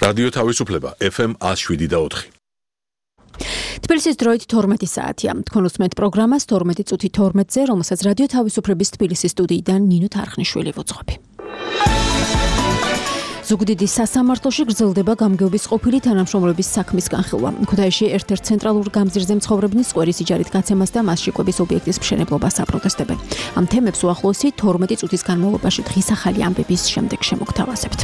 რადიო თავისუფლება FM 107.4. თბილისის დროით 12 საათია. თქვენ უსმენთ პროგრამას 12 წუთი 12-ზე, რომელსაც რადიო თავისუფლების თბილისის სტუდიიდან ნინო თარხნიშვილი ვუძღვები. ზუგდიდის სასამართლოში გრძელდება გამგეობის ყოფილი თანამშრომლების საქმის განხილვა. ქუთაისში ერთ-ერთ ცენტრალურ გამზირზე მცხოვრებლის სკვერის იჯარით გაცემას და მასში კვების ობიექტის მშენებლობას აპროტესტებენ. ამ თემებს უახლოესი 12 წუთის განმავლობაში დღის ახალი ამბების შემდეგ შემოგთავაზებთ.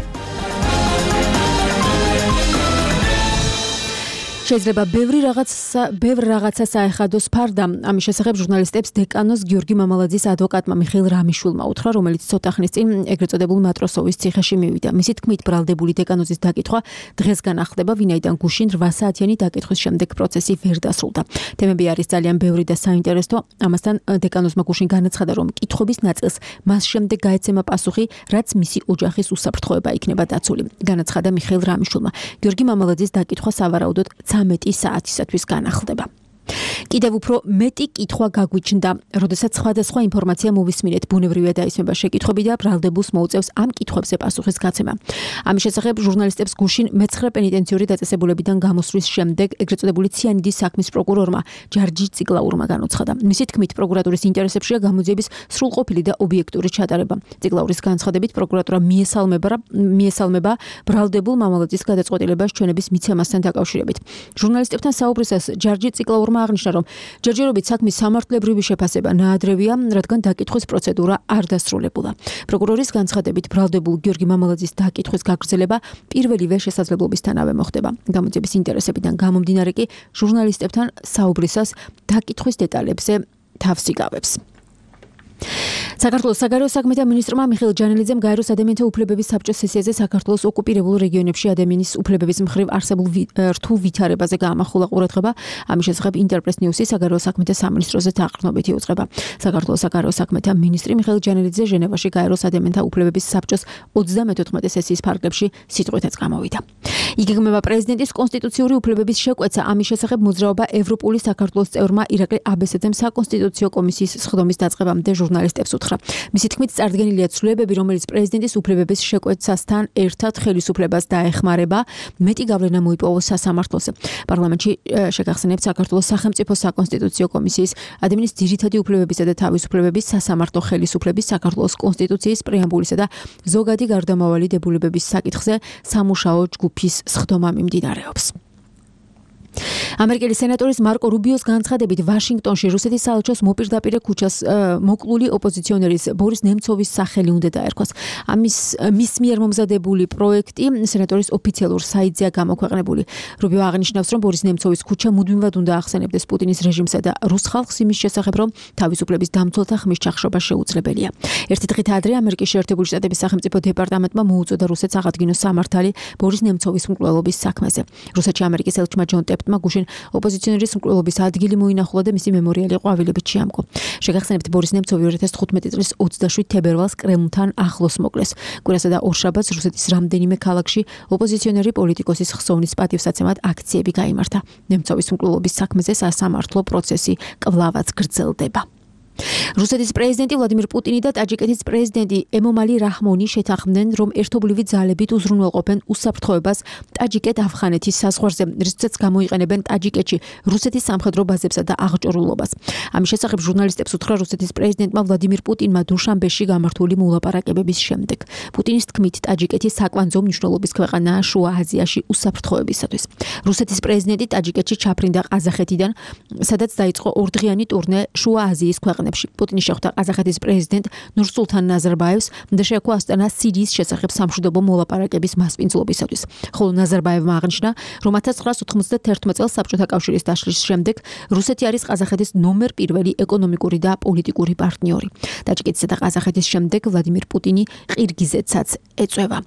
შეიძლება ბევრ რაღაცა საეხადოს ფარდა. ამის შესახებ ჟურნალისტებს დეკანოს გიორგი მამალაძის ადვოკატმა მიხეილ რამიშვილმა უთხრა, რომელიც ცოტა ხნის წინ ეგრეთ წოდებულ მატროსოვის ციხეში მივიდა. მისი თქმით, ბრალდებული დეკანოზის დაკითხვა დღესგან ახდება, ვინაიდან გუშინ 8 საათიანი დაკითხვის შემდეგ პროცესი ვერ დასრულდა. თემები არის ძალიან ბევრი და საინტერესო. ამასთან დეკანოზმა გუშინ განაცხადა, რომ კითხვების ნაწილს მას შემდეგ გაეცემა პასუხი, რაც მისი ოჯახის უსაფრთხოება იქნება დაცული. განაცხადა მიხეილ რამიშვილმა. გიორგი მამალაძის დაკითხვა სავარაუდოდ 13 საათისათვის განახლდება. კიდევ უფრო მეტი კითხვა გაგვიჩნდა, როდესაც სხვადასხვა ინფორმაცია მოვისმინეთ, ბუნებრივია დაისმება შეკითხვები და ბრალდებულს მოუწევს ამ კითხვებზე პასუხის გაცემა. ამის შესახებ ჟურნალისტებს გუშინ მე-9 პენიტენციური დაწესებულებიდან გამოსვლის შემდეგ ეგრეთ წოდებული ციანიდის საქმის პროკურორმა ჯარჯი ციკლაურმა განუცხადა. მისი თქმით, პროკურატურის ინტერესებშია გამოძიების სრულყოფილი და ობიექტური ჩატარება. ციკლაურის განცხადებით, პროკურატურა მიესალმება ბრალდებულ მამალაძის გადაწყვეტილებას ჩვენების მიცემასთან დაკავშირებით. ჟურნალისტებთან საუბრისას ჯარჯი ციკლაურმა აღნიშნა, რომ ჯერჯერობით საქმის სამართლებრივი შეფასება ნაადრევია, რადგან დაკითხვის პროცედურა არ დასრულებულა. პროკურორის განცხადებით, ბრალდებულ გიორგი მამალაძის დაკითხვის გაგრძელება პირველივე შესაძლებლობისთანავე მოხდება. გამოძიების ინტერესებიდან გამომდინარე კი ჟურნალისტებთან საუბრისას დაკითხვის დეტალებზე თავს იგავებს. საქართველოს საგარეო საქმეთა მინისტრმა მიხეილ ჯანელიძემ გაეროს ადამიანთა უფლებების საბჭოს სესიაზე საქართველოს ოკუპირებულ რეგიონებში ადამიანის უფლებების მხრივ არსებულ რთულ ვითარებაზე გაამახვილა ყურადღება. ამის შესახებ ინტერპრეს ნიუსი საგარეო საქმეთა სამინისტროზე დაყრდნობითი უძღვება. საქართველოს საგარეო საქმეთა მინისტრი მიხეილ ჯანელიძე ჟენევაში გაეროს ადამიანთა უფლებების საბჭოს 34 სესიის ფარგლებში სიტყვითაც გამოვიდა. იგეგმება პრეზიდენტის კონსტიტუციური უფლებების შეკვეცა. ამის შესახებ მოძრაობა ევროპული საქართველოს წევრმა ირაკლი აბესაძემ საკონსტიტუციო კომისიის სხდომის დაწყებამდე ჟურნალისტებს უთხრა. მისი თქმით, წარდგენილია ცვლილებები, რომელიც პრეზიდენტის უფლებების შეკვეცასთან ერთად ხელისუფლებას დაეხმარება, მეტი გავლენა მოიპოვოს სასამართლოზე. პარლამენტში შეგახსენებთ საქართველოს სახელმწიფო საკონსტიტუციო კომისიის ადამიანის ძირითადი უფლებებისა და თავისუფლებების სასამართლო ხელისუფლების საქართველოს კონსტიტუციის პრეამბულისა და ზოგადი გარდამავალი დებულებების საკითხზე სამუშაო ჯგუფის სხდომა მიმდინარეობს. ამერიკელი სენატორის მარკო რუბიოს განცხადებით, ვაშინგტონში რუსეთის საელჩოს მოპირდაპირე ქუჩას მოკლული ოპოზიციონერის ბორის ნემცოვის სახელი უნდა დაერქვას. მის მიერ მომზადებული პროექტი სენატორის ოფიციალურ საიტზეა გამოქვეყნებული. რუბიო აღნიშნავს, რომ ბორის ნემცოვის ქუჩა მუდმივად უნდა ახსენებდეს პუტინის რეჟიმსა და რუს ხალხს იმის შესახებ, რომ თავისუფლების დამცველთა ხმის ჩახშობა შეუძლებელია. ერთი დღით ადრე ამერიკის შეერთებული შტატების სახელმწიფო დეპარტამენტმა მოუწოდა რუსეთს აღადგინოს სამართალი ბორის ნემცოვის მკვლელობის საქმეზე. რუსეთში ამერიკის ელჩმა ჯონ ტეპტმა გუშინ ოპოზიციონერის მკვლელობის ადგილი მოინახულა და მისი მემორიალი ყვავილებით შეამკო. შეგახსენებთ, ბორის ნემცოვი 2015 წლის 27 თებერვალს კრემლთან ახლოს მოკლეს. კვირასა და ორშაბათს რუსეთის რამდენიმე ქალაქში ოპოზიციონერი პოლიტიკოსის ხსოვნის პატივსაცემად აქციები გაიმართა. ნემცოვის მკვლელობის საქმეზე სასამართლო პროცესი კვლავაც გრძელდება. რუსეთის პრეზიდენტი ვლადიმირ პუტინი და ტაჯიკეთის პრეზიდენტი ემომალი რაჰმონი შეთანხმდნენ, რომ ერთობლივი ძალებით უზრუნველყოფენ უსაფრთხოებას ტაჯიკეთ-ავხანეთის საზღვარზე, რისთვისაც გამოიყენებენ ტაჯიკეთში რუსეთის სამხედრო ბაზებსა და აღჭურვილობას. ამის შესახებ ჟურნალისტებს უთხრა რუსეთის პრეზიდენტმა ვლადიმირ პუტინმა დუშანბეში გამართული მოლაპარაკებების შემდეგ. პუტინის თქმით, ტაჯიკეთი საკვანძო მნიშვნელობის ქვეყანაა შუა აზიაში უსაფრთხოებისათვის. რუსეთის პრეზიდენტი ტაჯიკეთში ჩაფრინდა ყაზახეთიდან, სადაც დაიწყო ორდღიანი ტურნე შუა აზიის ქვეყნებში. პუტინი შეხვდა ყაზახეთის პრეზიდენტ ნურსულთან ნაზარბაევს და შეაქვა ასტანა სირიის შესახებ სამშვიდობო მოლაპარაკების მასპინძლობისათვის. ხოლო ნაზარბაევმა აღნიშნა, რომ 1991 წელს საბჭოთა კავშირის დაშლის შემდეგ რუსეთი არის ყაზახეთის ნომერ პირველი ეკონომიკური და პოლიტიკური პარტნიორი. ტაჯიკეთისა და ყაზახეთის შემდეგ ვლადიმირ პუტინი ყირგიზეთსაც ეწევა.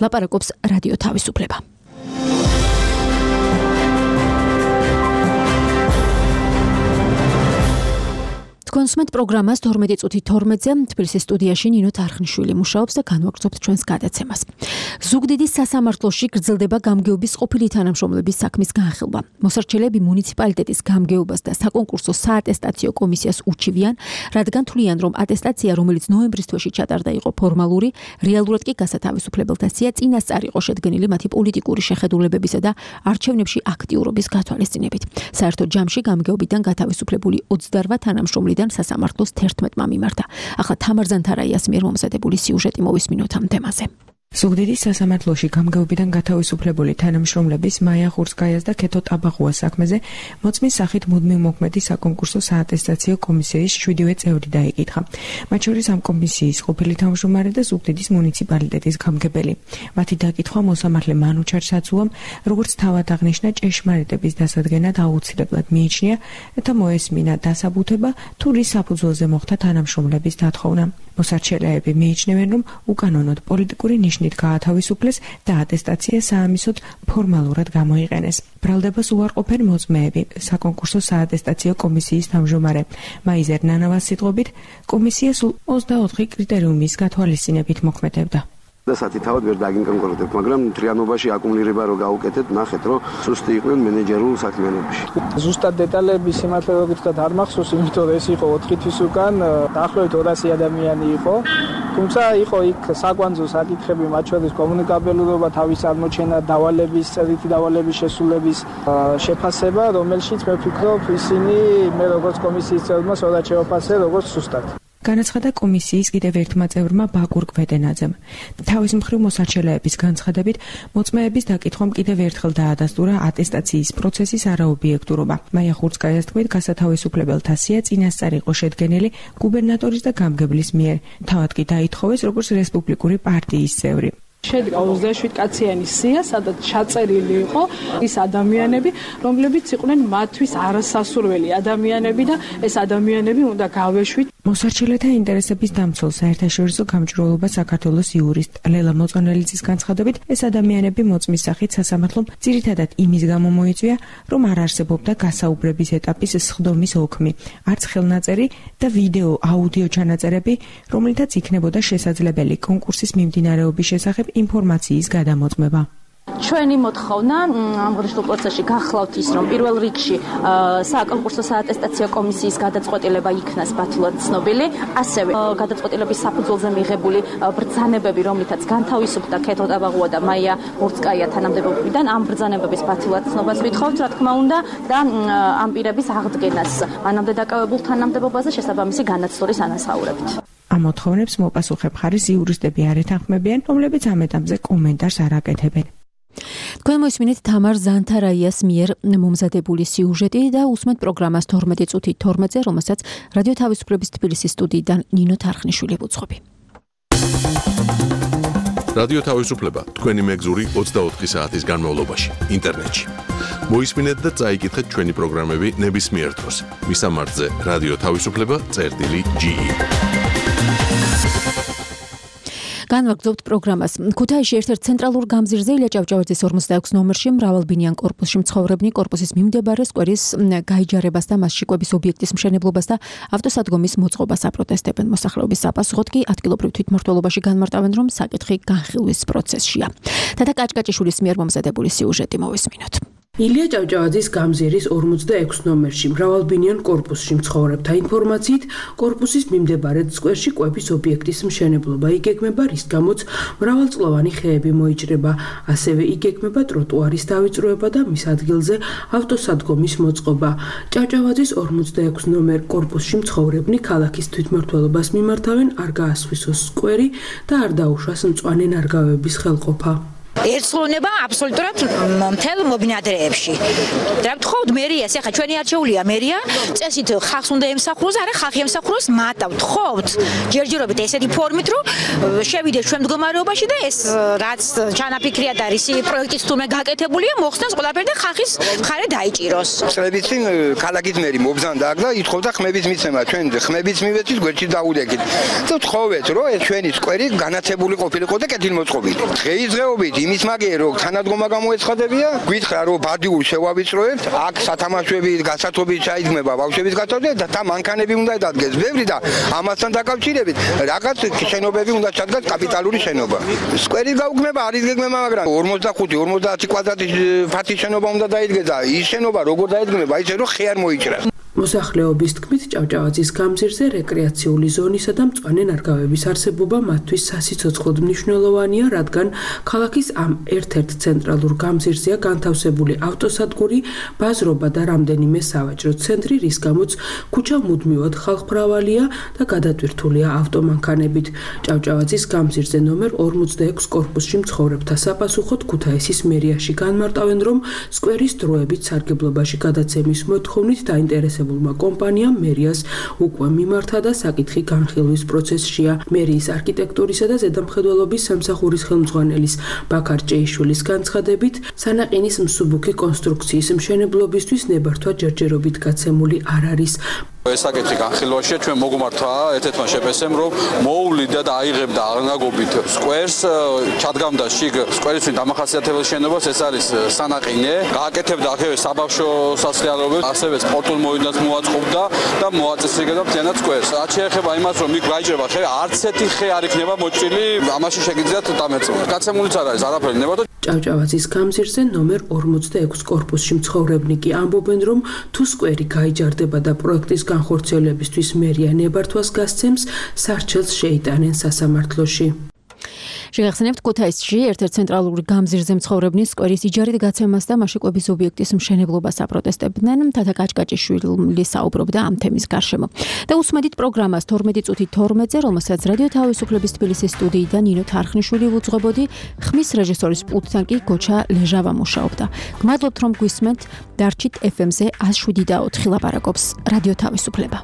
ლაპარაკობს რადიო თავისუფლება. თქვენ სმენთ პროგრამას 12 წუთი 12-ზე თბილისის სტუდიაში ნინო თარხნიშვილი მუშაობს და განვაგრძობთ ჩვენს გადაცემას. ზუგდიდის სასამართლოში გრძელდება გამგეობის ყოფილი თანამშრომლების საქმის განხილვა. მოსარჩელები მუნიციპალიტეტის გამგეობას და საკონკურსო საატესტაციო კომისიას უჩივიან, რადგან თვლიან, რომ ატესტაცია, რომელიც ნოემბრის თვეში ჩატარდა, იყო ფორმალური, რეალურად კი გასათავისუფლებელთა სია წინასწარ იყო შედგენილი მათი პოლიტიკური შეხედულებებისა და არჩევნებში აქტიურობის გათვალისწინებით. საერთო ჯამში გამგეობიდან გათავისუფლებული 28 თანამშრომლიდან სასამართლოს 11-მა მიმართა. ახლა თამარ ზანთარაიას მიერ მომზადებული სიუჟეტი მოვისმინოთ ამ თემაზე. ზუგდიდის სასამართლოში გამგეობიდან გათავისუფლებული თანამშრომლების მაია ხურცკაიას და ქეთო ტაბაღუას საქმეზე მოწმის სახით მუდმივ მოქმედი საკონკურსო საატესტაციო კომისიის 7-ვე წევრი დაიკითხა. მათ შორის ამ კომისიის ყოფილი თავმჯდომარე და ზუგდიდის მუნიციპალიტეტის გამგებელი. მათი დაკითხვა მოსამართლე მანუჩარ საცუამ, როგორც თავად აღნიშნა, ჭეშმარიტების დასადგენად აუცილებლად მიიჩნია და მოესმინა დასაბუთება თუ რის საფუძველზე მოხდა თანამშრომლების დათხოვნა. მოსარჩელეები მიიჩნევენ, რომ უკანონოდ პოლიტიკური ნიშნით გაათავისუფლეს და ატესტაცია საამისოდ ფორმალურად გამოიყენეს. ბრალდებას უარყოფენ მოწმეები, საკონკურსო საატესტაციო კომისიის თავმჯდომარე მაიზერ ნანავას სიტყვებით, კომისია სულ 24 კრიტერიუმის გათვალისწინებით მოქმედებდა. დასათი თავად ვერ დაგინკონკრეტებთ, მაგრამ მთლიანობაში აკუმულირება რო გავუკეთეთ, ნახეთ, რომ სუსტი იყვნენ მენეჯერულ საქმიანობაში. ზუსტად დეტალები სიმართლე რომ გითხრათ არ მახსოვს, იმიტომ რომ ეს იყო 4 თვის უკან, დაახლოებით 200 ადამიანი იყო. თუმცა იყო იქ საკვანძო საკითხები, მათ შორის კომუნიკაბელურობა, თავის აღმოჩენა, დავალების, წერითი დავალების შესრულების შეფასება, რომელშიც მე ვფიქრობ, ისინი მე როგორც კომისიის წევრმა სწორად შევაფასე, როგორც ზუსტად. განაცხადა კომისიის კიდევ ერთმა წევრმა ბაკურ კვედენაძემ. თავის მხრივ მოსარჩელეების განცხადებით, მოწმეების დაკითხვამ კიდევ ერთხელ დაადასტურა ატესტაციის პროცესის არაობიექტურობა. მაია ხურცკაიას თქმით, გასათავისუფლებელთა სია წინასწარ იყო შედგენილი გუბერნატორის და გამგებლის მიერ. თავად კი დაითხოვეს როგორც რესპუბლიკური პარტიის წევრი. შედგა 27 კაციანი სია, სადაც ჩაწერილი იყო ის ადამიანები, რომლებიც იყვნენ მათთვის არასასურველი ადამიანები და ეს ადამიანები უნდა გავეშვით. მოსარჩელეთა ინტერესების დამცველ საერთაშორისო გამჭვირვალობა საქართველოს იურისტ ლელა მოწონელიძის განცხადებით, ეს ადამიანები მოწმის სახით სასამართლომ ძირითადად იმის გამო მოიწვია, რომ არ არსებობდა გასაუბრების ეტაპის სხდომის ოქმი, არც ხელნაწერი და ვიდეო აუდიო ჩანაწერები, რომლითაც იქნებოდა შესაძლებელი კონკურსის მიმდინარეობის შესახებ ინფორმაციის გადამოწმება. ჩვენი მოთხოვნა ამ ღრიშულ პროცესში გახლავთ ის, რომ პირველ რიგში საკონკურსო საატესტაციო კომისიის გადაწყვეტილება იქნას ბათილად ცნობილი, ასევე გადაწყვეტილების საფუძველზე მიღებული ბრძანებები, რომლითაც განთავისუფლდა ქეთო ტაბაღუა და მაია ხურცკაია თანამდებობიდან, ამ ბრძანებების ბათილად ცნობას ვითხოვთ, რა თქმა უნდა, და ამ პირების აღდგენას მანამდე დაკავებულ თანამდებობაზე შესაბამისი განაცდორის ანაზღაურებით. ამ მოთხოვნებს მოპასუხებ ხარის იურისტები არ ეთანხმებიან, რომლებიც ამ ეტაპზე კომენტარს არ აკეთებენ. თქვენ მოისმინეთ თამარ ზანთარაიას მიერ მომზადებული სიუჟეტი და უსმენთ პროგრამას 12 წუთი 12-ზე, რომელსაც რადიო თავისუფლების თბილისის სტუდიიდან ნინო თარხნიშვილი უძღვები. რადიო თავისუფლება თქვენი მეგზური 24 საათის განმავლობაში ინტერნეტში. მოისმინეთ და წაიკითხეთ ჩვენი პროგრამები ნებისმიერ დროს. მისამართზე რადიო თავისუფლება.ge. განვაგრძობთ პროგრამას. ქუთაისში ერთ-ერთ ცენტრალურ გამზირზე ილია ჭავჭავაძის 46 ნომერში მრავალბინიან კორპუსში მცხოვრებნი კორპუსის მიმდებარე სკვერის გაიჯარებას და მასში კვების ობიექტის მშენებლობას და ავტოსადგომის მოწყობას აპროტესტებენ. მოსახლეობის საპასუხოდ კი ადგილობრივ თვითმმართველობაში განმარტავენ, რომ საკითხი განხილვის პროცესშია. თათა კაჭკაჭიშვილის მიერ მომზადებული სიუჟეტი მოვისმინოთ. ილია ჭავჭავაძის გამზირის 46 ნომერში მრავალბინიან კორპუსში მცხოვრებთა ინფორმაციით, კორპუსის მიმდებარე სკვერში კვების ობიექტის მშენებლობა იგეგმება, რის გამოც მრავალწლოვანი ხეები მოიჭრება. ასევე იგეგმება ტროტუარის დავიწროება და მის ადგილზე ავტოსადგომის მოწყობა. ჭავჭავაძის 46 ნომერ კორპუსში მცხოვრებნი ქალაქის თვითმმართველობას მიმართავენ, არ გაასხვისოს სკვერი და არ დაუშვას მწვანე ნარგავების ხელყოფა. ერწყლონება აბსოლუტურად მთელ მობინადრეებში. რა ვთხოვთ მერიას, ახლა ჩვენი არჩეულია მერია, წესით ხალხს უნდა ემსახუროს, არა ხალხი ემსახუროს მათა. ვთხოვთ ჯერჯერობით ესეთი ფორმით, რომ შევიდეს ჩვენ მდგომარეობაში და ეს რაც ჩანაფიქრია და რისი პროექტის თურმე გაკეთებულია, მოხსნას ყველაფერი და ხალხის მხარე დაიჭიროს. წლების წინ ქალაქის მერი მობრძანდა აქ და ითხოვდა ხმების მიცემა, ჩვენ ხმების მივეცით, გვერდში დაუდეკით. და ვთხოვეთ, რომ ეს ჩვენი სკვერი განათებული ყოფილიყო და კეთილმოწყობილი. დღეისდღეობით ის მაგერ რო თანადგომა გამოეცხადებია, გითხრა რომ ბადიურ შევავიწროებთ, აქ სათამაშოები გასათობი ჩაიდგმება ბავშვების გასათობი და მანქანები უნდა დადგეს ბევრი და ამასთან დაკავშირებით რაღაც შენობები უნდა ჩადგას კაპიტალური შენობა. სკვერი გაუგმება არის გეგმება, მაგრამ 45-50 კვადრატის ფართის შენობა უნდა დაიდგეს და ის შენობა როგორ დაიდგმება, ისე რომ ხე არ მოიჭრას. მოსახლეობის თქმით, ჭავჭავაძის გამზირზე რეკრეაციული ზონისა და მწვანე ნარგავების არსებობა მათთვის სასიცოცხლოდ მნიშვნელოვანია, რადგან ქალაქის ამ ერთ-ერთ ცენტრალურ გამზირზეა განთავსებული ავტოსადგური, ბაზრობა და რამდენიმე სავაჭრო ცენტრი, რის გამოც ქუჩა მუდმივად ხალხმრავალია და გადატვირთულია ავტომანქანებით. ჭავჭავაძის გამზირზე ნომერ 46 კორპუსში მცხოვრებთა საფასუხოდ ქუთაისის მერიაში განმარტავენ, რომ სკვერის დროებით სარგებლობაში გადაცემის მოთხოვნით დაინტერესებულმა კომპანიამ მერიას უკვე მიმართა და საკითხი განხილვის პროცესშია. მერიის არქიტექტურისა და ზედამხედველობის სამსახურის ხელმძღვანელის ბაქარ ჭეიშვილის განცხადებით, სანაყინის მსუბუქი კონსტრუქციის მშენებლობისთვის ნებართვა ჯერჯერობით გაცემული არ არის. ეს საკითხი განხილვაშია, ჩვენ მოგმართა ერთ-ერთმა შეფესემ, რომ მოუვლიდა და აიღებდა აღნაგობით სკვერს, ჩადგამდა შიგ სკვერისთვის დამახასიათებელ შენობას, ეს არის სანაყინე, გააკეთებდა აქევე საბავშვო სასწავლებლებს, ასევე სპორტულ მოედნად მოაწყობდა და მოაწესრიგებდა მთლიანად სკვერს. რაც შეეხება იმას, რომ იქ გაიჭრება ხე, არც ერთი ხე არ იქნება მოჭრილი, ამაში შეგიძლიათ დამეწონა. გაცემულიც არ არის არაფერი ნებართვა. ჭავჭავაძის გამზირზე ნომერ 46 კორპუსში მცხოვრებნი კი ამბობენ, რომ თუ სკვერი გაიჯარდება და პროექტის განხორციელებისთვის მერია ნებართვას გასცემს, სარჩელს შეიტანენ სასამართლოში. შეგახსენებთ, ქუთაისში ერთ-ერთ ცენტრალური გამზირზე მცხოვრებნი სკვერის იჯარით გაცემას და მაშიკვების ობიექტის მშენებლობას აპროტესტებდნენ. თათა კაჭკაჭიშვილი საუბრობდა ამ თემის გარშემო. და უსმედით პროგრამას 12 წუთი 12-ზე, რომელსაც რადიო თავისუფლების თბილისის სტუდიიდან ნინო თარხნიშვილი უძღვებოდი, ხმის რეჟისორის პულტთან კი გოჩა ლეჟავა მუშაობდა. გმადლობთ, რომ გვისმენთ. დარჩით FM-ზე 107.4 ლაპარაკობს რადიო თავისუფლება.